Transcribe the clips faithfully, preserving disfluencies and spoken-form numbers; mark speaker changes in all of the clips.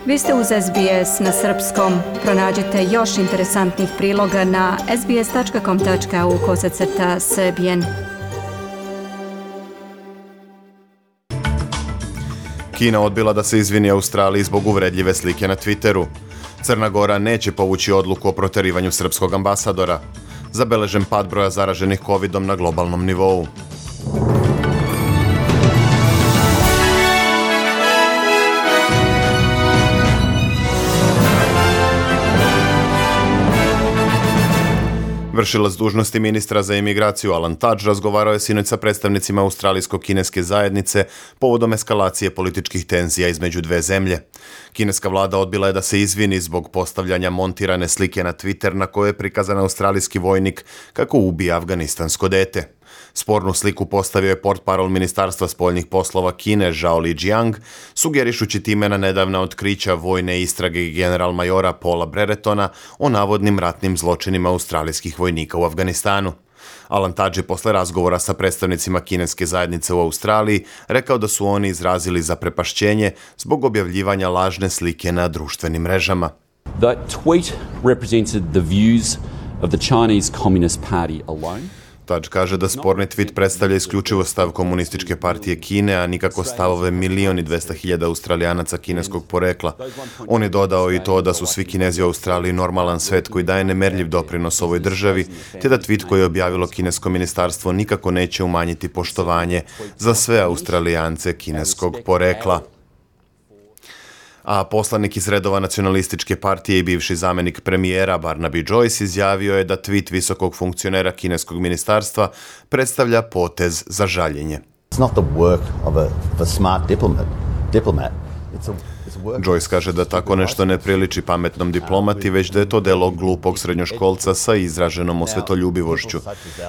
Speaker 1: Vi ste uz S B S na srpskom. Pronađite još interesantnih priloga na sbs.com.au kosacrta srbijen.
Speaker 2: Kina odbila da se izvini Australiji zbog uvredljive slike na Twitteru. Crna Gora neće povući odluku o proterivanju srpskog ambasadora. Zabeležen pad broja zaraženih covidom na globalnom nivou. Vršilac dužnosti ministra za imigraciju Alan Tudge razgovarao je sinoć sa predstavnicima australijsko-kineske zajednice povodom eskalacije političkih tenzija između dve zemlje. Kineska vlada odbila je da se izvini zbog postavljanja montirane slike na Twitter na kojoj je prikazan australijski vojnik kako ubija afganistansko dete. Spornu sliku postavio je portparol Ministarstva spoljnih poslova Kine Zhao Lijiang, sugerišući time na nedavna otkrića vojne istrage general majora Paula Breretona o navodnim ratnim zločinima australijskih vojnika u Afganistanu. Alan Tudge je posle razgovora sa predstavnicima kineske zajednice u Australiji rekao da su oni izrazili zaprepašćenje zbog objavljivanja lažne slike na društvenim mrežama.
Speaker 3: That tweet represented the views of the Chinese Communist Party alone.
Speaker 2: Tudge kaže da sporni tweet predstavlja isključivo stav komunističke partije Kine, a nikako stavove milion i dvesta hiljada Australijanaca kineskog porekla. On je dodao i to da su svi Kinezi u Australiji normalan svet koji daje nemerljiv doprinos ovoj državi, te da tweet koji je objavilo kinesko ministarstvo nikako neće umanjiti poštovanje za sve Australijance kineskog porekla. A poslanik iz redova nacionalističke partije i bivši zamenik premijera Barnaby Joyce izjavio je da tweet visokog funkcionera kineskog ministarstva predstavlja potez za žaljenje.
Speaker 4: It's not the work of a, of a smart diplomat. diplomat. It's a
Speaker 2: Joyce kaže da tako nešto ne priliči pametnom diplomati, već da je to delo glupog srednjoškolca sa izraženom osvetoljubivošću.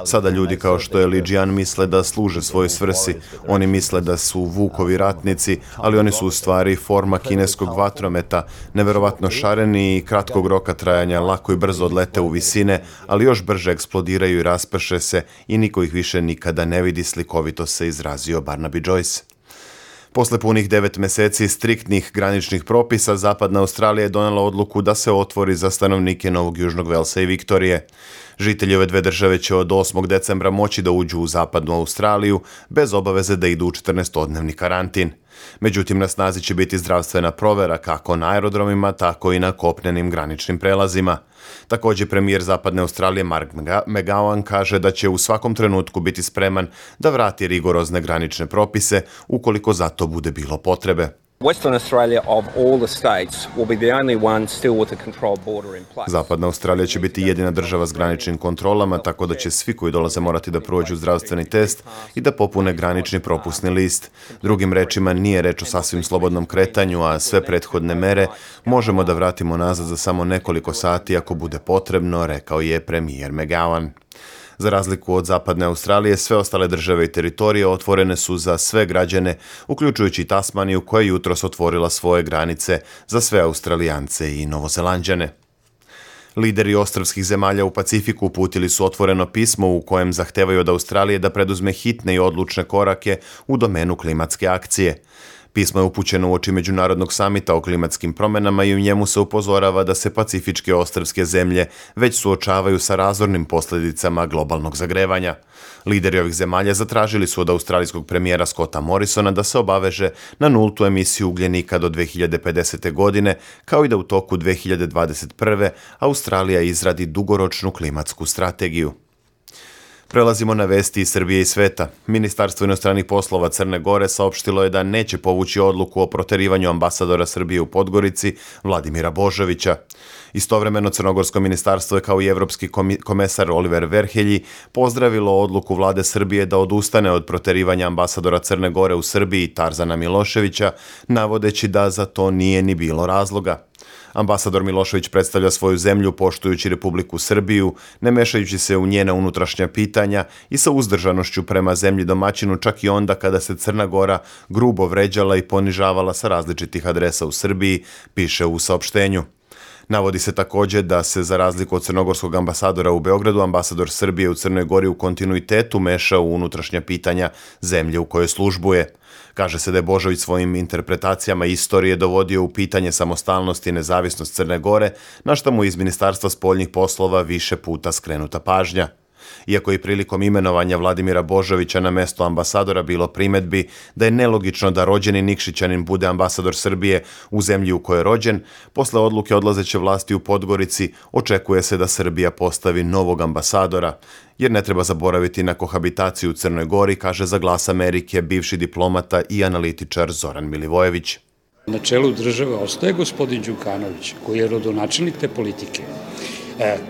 Speaker 2: Sada ljudi kao što je Lijian misle da služe svojoj svrsi. Oni misle da su Vukovi ratnici, ali oni su u stvari forma kineskog vatrometa, neverovatno šareni i kratkog roka trajanja, lako i brzo odlete u visine, ali još brže eksplodiraju i rasprše se i niko ih više nikada ne vidi, slikovito se izrazio Barnaby Joyce. Posle punih devet meseci striktnih graničnih propisa, Zapadna Australija je donela odluku da se otvori za stanovnike Novog Južnog Velsa i Viktorije. Žitelji ove dve države će od osmog decembra moći da uđu u Zapadnu Australiju bez obaveze da idu u četrnaestodnevni karantin. Međutim, na snazi će biti zdravstvena provera kako na aerodromima, tako i na kopnenim graničnim prelazima. Također, premijer Zapadne Australije Mark McGowan kaže da će u svakom trenutku biti spreman da vrati rigorozne granične propise ukoliko za to bude bilo potrebe.
Speaker 5: Western Australia of all the states will be the only one still with a controlled border in place.
Speaker 2: Zapadna Australija će biti jedina država s graničnim kontrolama, tako da će svi koji dolaze morati da prođu zdravstveni test i da popune granični propusni list. Drugim rečima, nije reč o sasvim slobodnom kretanju, a sve prethodne mere možemo da vratimo nazad za samo nekoliko sati ako bude potrebno, rekao je premijer McGowan. Za razliku od Zapadne Australije, sve ostale države i teritorije otvorene su za sve građane, uključujući i Tasmaniju koja je jutros otvorila svoje granice za sve Australijance i Novozelanđane. Lideri ostrvskih zemalja u Pacifiku uputili su otvoreno pismo u kojem zahtevaju od Australije da preduzme hitne i odlučne korake u domenu klimatske akcije. Pismo je upućeno uoči međunarodnog samita o klimatskim promjenama i u njemu se upozorava da se pacifičke ostrvske zemlje već suočavaju sa razornim posljedicama globalnog zagrevanja. Lideri ovih zemalja zatražili su od australijskog premijera Scotta Morrisona da se obaveže na nultu emisiju ugljenika do dve hiljade pedesete. godine, kao i da u toku dve hiljade dvadeset prve. Australija izradi dugoročnu klimatsku strategiju. Prelazimo na vesti iz Srbije i sveta. Ministarstvo inostranih poslova Crne Gore saopštilo je da neće povući odluku o proterivanju ambasadora Srbije u Podgorici Vladimira Božovića. Istovremeno Crnogorsko ministarstvo je kao i evropski komesar Oliver Verhelji pozdravilo odluku vlade Srbije da odustane od proterivanja ambasadora Crne Gore u Srbiji Tarzana Miloševića, navodeći da za to nije ni bilo razloga. Ambasador Milošević predstavlja svoju zemlju poštujući Republiku Srbiju, ne mešajući se u njena unutrašnja pitanja i sa uzdržanošću prema zemlji domaćinu čak i onda kada se Crna Gora grubo vređala i ponižavala sa različitih adresa u Srbiji, piše u saopštenju. Navodi se također da se, za razliku od crnogorskog ambasadora u Beogradu, ambasador Srbije u Crnoj Gori u kontinuitetu meša u unutrašnja pitanja zemlje u kojoj službuje. Kaže se da je Božović svojim interpretacijama istorije dovodio u pitanje samostalnost i nezavisnost Crne Gore, na što mu iz Ministarstva spoljnih poslova više puta skrenuta pažnja. Iako je prilikom imenovanja Vladimira Božovića na mesto ambasadora bilo primedbi da je nelogično da rođeni Nikšićanin bude ambasador Srbije u zemlji u kojoj je rođen, posle odluke odlazeće vlasti u Podgorici očekuje se da Srbija postavi novog ambasadora, jer ne treba zaboraviti na kohabitaciju u Crnoj Gori, kaže za Glas Amerike bivši diplomata i analitičar Zoran Milivojević.
Speaker 6: Na čelu države ostaje gospodin Đukanović, koji je rodonačelnik te politike,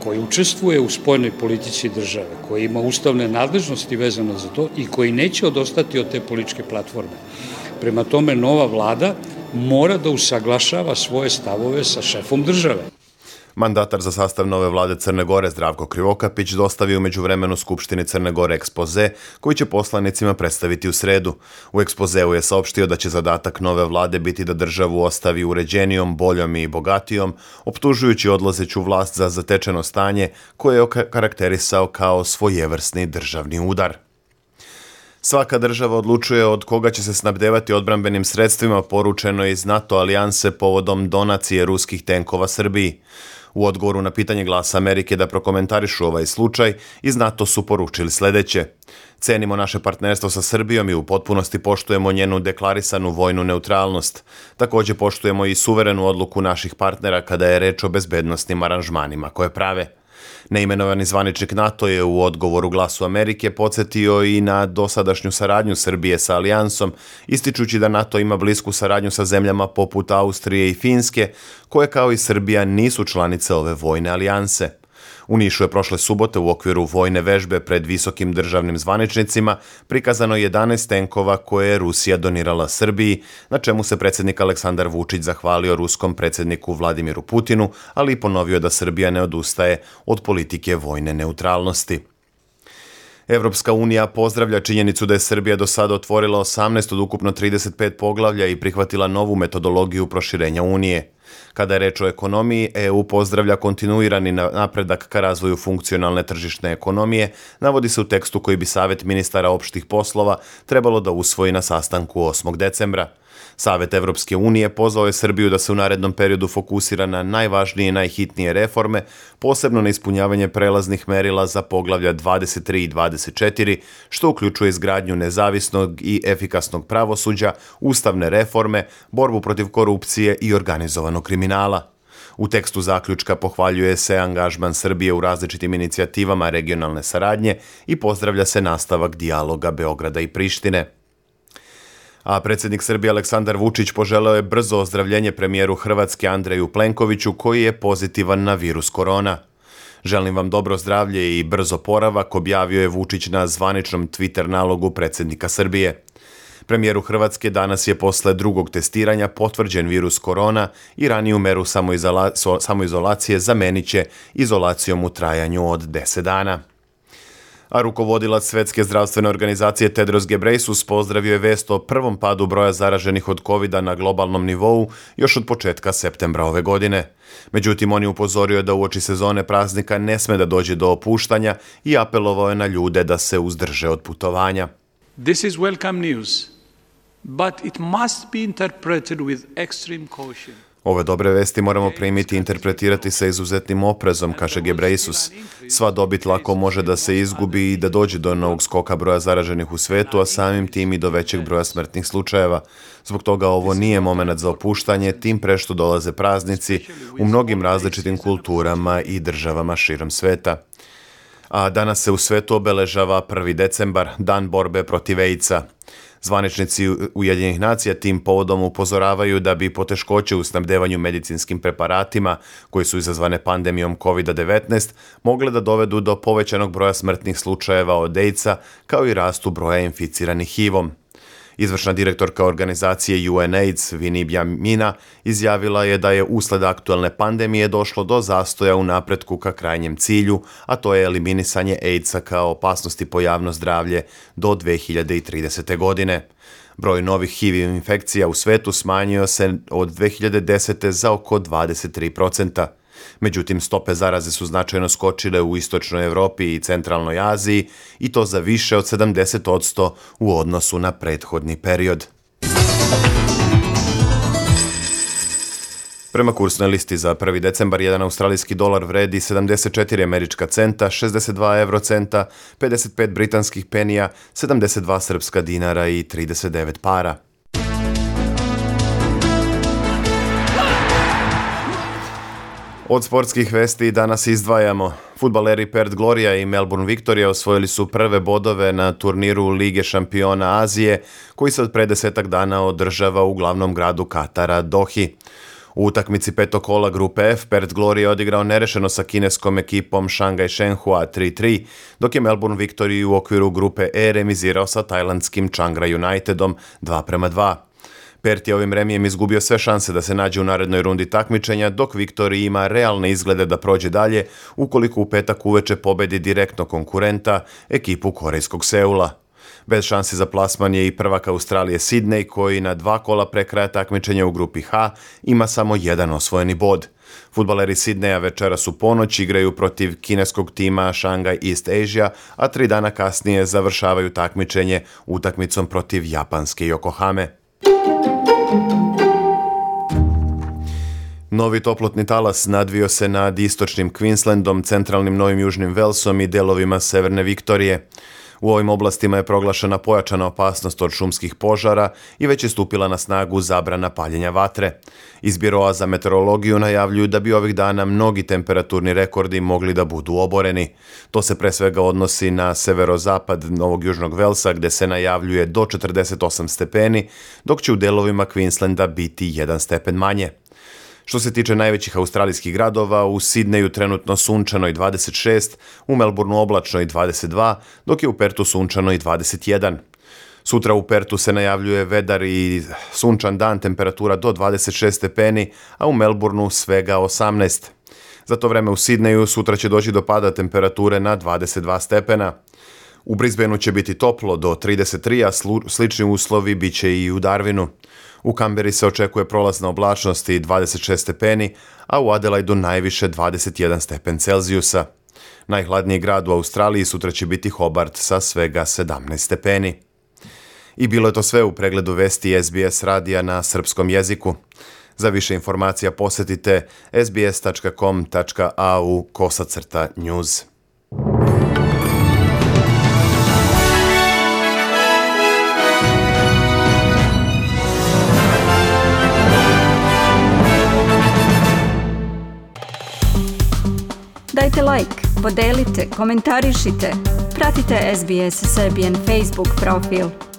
Speaker 6: koji učestvuje u spoljnoj politici države, koji ima ustavne nadležnosti vezano za to i koji neće odostati od te političke platforme. Prema tome, nova vlada mora da usaglašava svoje stavove sa šefom države.
Speaker 2: Mandatar za sastav nove vlade Crne Gore Zdravko Krivokapić dostavio u međuvremenu Skupštini Crne Gore ekspoze koji će poslanicima predstaviti u sredu. U ekspozeu je saopštio da će zadatak nove vlade biti da državu ostavi uređenijom, boljom i bogatijom, optužujući odlazeću vlast za zatečeno stanje koje je karakterisao kao svojevrsni državni udar. Svaka država odlučuje od koga će se snabdevati odbrambenim sredstvima, poručeno je iz NATO alijanse povodom donacije ruskih tenkova Srbiji. U odgovoru na pitanje Glasa Amerike da prokomentarišu ovaj slučaj, iz NATO su poručili sledeće. Cenimo naše partnerstvo sa Srbijom i u potpunosti poštujemo njenu deklarisanu vojnu neutralnost. Također poštujemo i suverenu odluku naših partnera kada je reč o bezbednosnim aranžmanima koje prave. Neimenovani zvaničnik NATO je u odgovoru Glasu Amerike podsjetio i na dosadašnju saradnju Srbije sa alijansom, ističući da NATO ima blisku saradnju sa zemljama poput Austrije i Finske, koje kao i Srbija nisu članice ove vojne alijanse. U Nišu je prošle subote u okviru vojne vežbe pred visokim državnim zvaničnicima prikazano jedanaest tenkova koje je Rusija donirala Srbiji, na čemu se predsjednik Aleksandar Vučić zahvalio ruskom predsjedniku Vladimiru Putinu, ali i ponovio da Srbija ne odustaje od politike vojne neutralnosti. Evropska unija pozdravlja činjenicu da je Srbija do sada otvorila osamnaest od ukupno trideset pet poglavlja i prihvatila novu metodologiju proširenja Unije. Kada je reč o ekonomiji, E U pozdravlja kontinuirani napredak ka razvoju funkcionalne tržišne ekonomije, navodi se u tekstu koji bi Savet ministara opštih poslova trebalo da usvoji na sastanku osmog decembra. Savet Evropske unije pozvao je Srbiju da se u narednom periodu fokusira na najvažnije i najhitnije reforme, posebno na ispunjavanje prelaznih merila za poglavlja dvadeset tri i dvadeset četiri, što uključuje izgradnju nezavisnog i efikasnog pravosuđa, ustavne reforme, borbu protiv korupcije i organizovanog kriminala. U tekstu zaključka pohvaljuje se angažman Srbije u različitim inicijativama regionalne saradnje i pozdravlja se nastavak dijaloga Beograda i Prištine. A predsjednik Srbije Aleksandar Vučić poželeo je brzo ozdravljenje premijeru Hrvatske Andreju Plenkoviću koji je pozitivan na virus korona. Želim vam dobro zdravlje i brzo oporavak, objavio je Vučić na zvaničnom Twitter nalogu predsjednika Srbije. Premijeru Hrvatske danas je posle drugog testiranja potvrđen virus korona i raniju meru samoizolacije zamenit će izolacijom u trajanju od deset dana. A rukovodilac Svetske zdravstvene organizacije Tedros Ghebreyesus pozdravio je vest o prvom padu broja zaraženih od kovida na globalnom nivou još od početka septembra ove godine. Međutim, on je upozorio da uoči sezone praznika ne sme da dođe do opuštanja i apelovao je na ljude da se uzdrže od putovanja.
Speaker 7: This is welcome news, but it must be interpreted with extreme caution.
Speaker 2: Ove dobre vesti moramo primiti i interpretirati sa izuzetnim oprezom, kaže Ghebreyesus. Sva dobit lako može da se izgubi i da dođe do novog skoka broja zaraženih u svetu, a samim tim i do većeg broja smrtnih slučajeva. Zbog toga ovo nije moment za opuštanje, tim pre što dolaze praznici u mnogim različitim kulturama i državama širom sveta. A danas se u svetu obeležava prvi decembar, dan borbe protiv AIDS-a. Zvaničnici Ujedinjenih nacija tim povodom upozoravaju da bi poteškoće u snabdevanju medicinskim preparatima, koji su izazvane pandemijom kovid devetnaest, mogle da dovedu do povećanog broja smrtnih slučajeva od AIDS-a, kao i rastu broja inficiranih H I V-om. Izvršna direktorka organizacije U N AIDS, Vinibja Mina, izjavila je da je usled aktuelne pandemije došlo do zastoja u napretku ka krajnjem cilju, a to je eliminisanje AIDS-a kao opasnosti po javno zdravlje do dve hiljade tridesete. godine. Broj novih H I V infekcija u svetu smanjio se od dve hiljade desete. za oko dvadeset tri procenta. Međutim, stope zaraze su značajno skočile u istočnoj Evropi i centralnoj Aziji i to za više od sedamdeset posto u odnosu na prethodni period. Prema kursnoj listi za prvi decembar jedan australijski dolar vredi sedamdeset četiri američka centa, šezdeset dva eurocenta, pedeset pet britanskih penija, sedamdeset dva srpska dinara i trideset devet para. Od sportskih vesti danas izdvajamo. Fudbaleri Perth Gloria i Melbourne Victoria osvojili su prve bodove na turniru Lige šampiona Azije, koji se od pre desetak dana održava u glavnom gradu Katara, Dohi. U utakmici petog kola grupe F, Perth Gloria odigrao nerešeno sa kineskom ekipom Shanghai Shenhua tri tri, dok je Melbourne Victoria u okviru grupe E remizirao sa tajlandskim Changra Unitedom dva prema dva. Perth je ovim remijem izgubio sve šanse da se nađe u narednoj rundi takmičenja, dok Victoria ima realne izglede da prođe dalje ukoliko u petak uveče pobedi direktno konkurenta, ekipu korejskog Seula. Bez šansi za plasman je i prvak Australije Sydney, koji na dva kola pre kraja takmičenja u grupi H ima samo jedan osvojeni bod. Fudbaleri Sydneya večeras u ponoć igraju protiv kineskog tima Shanghai East Asia, a tri dana kasnije završavaju takmičenje utakmicom protiv japanske Yokohame. Novi toplotni talas nadvio se nad istočnim Queenslandom, centralnim Novim Južnim Velsom i delovima severne Viktorije. U ovim oblastima je proglašena pojačana opasnost od šumskih požara i već je stupila na snagu zabrana paljenja vatre. Iz Biroa za meteorologiju najavljuju da bi ovih dana mnogi temperaturni rekordi mogli da budu oboreni. To se pre svega odnosi na severozapad Novog Južnog Velsa, gde se najavljuje do četrdeset osam stepeni, dok će u delovima Queenslanda biti jedan stepen manje. Što se tiče najvećih australijskih gradova, u Sidneju trenutno sunčano i dvadeset šest, u Melbourneu oblačno i dvadeset dva, dok je u Pertu sunčano i dvadeset jedan. Sutra u Pertu se najavljuje vedar i sunčan dan, temperatura do dvadeset šest stepeni, a u Melbourneu svega osamnaest. Za to vreme u Sidneju sutra će doći do pada temperature na dvadeset dva stepena. U Brisbaneu će biti toplo do trideset tri, a slični uslovi bit će i u Darwinu. U Kamberi se očekuje prolazna oblačnost i dvadeset šest stepeni, a u Adelaidu najviše dvadeset jedan stepen Celzijusa. Najhladniji grad u Australiji sutra će biti Hobart sa svega sedamnaest stepeni. I bilo je to sve u pregledu vesti S B S radija na srpskom jeziku. Za više informacija posetite s b s tačka com tačka a u kosacrta news.
Speaker 1: Dajte like, podelite, komentarišite, pratite S B S Serbian Facebook profil.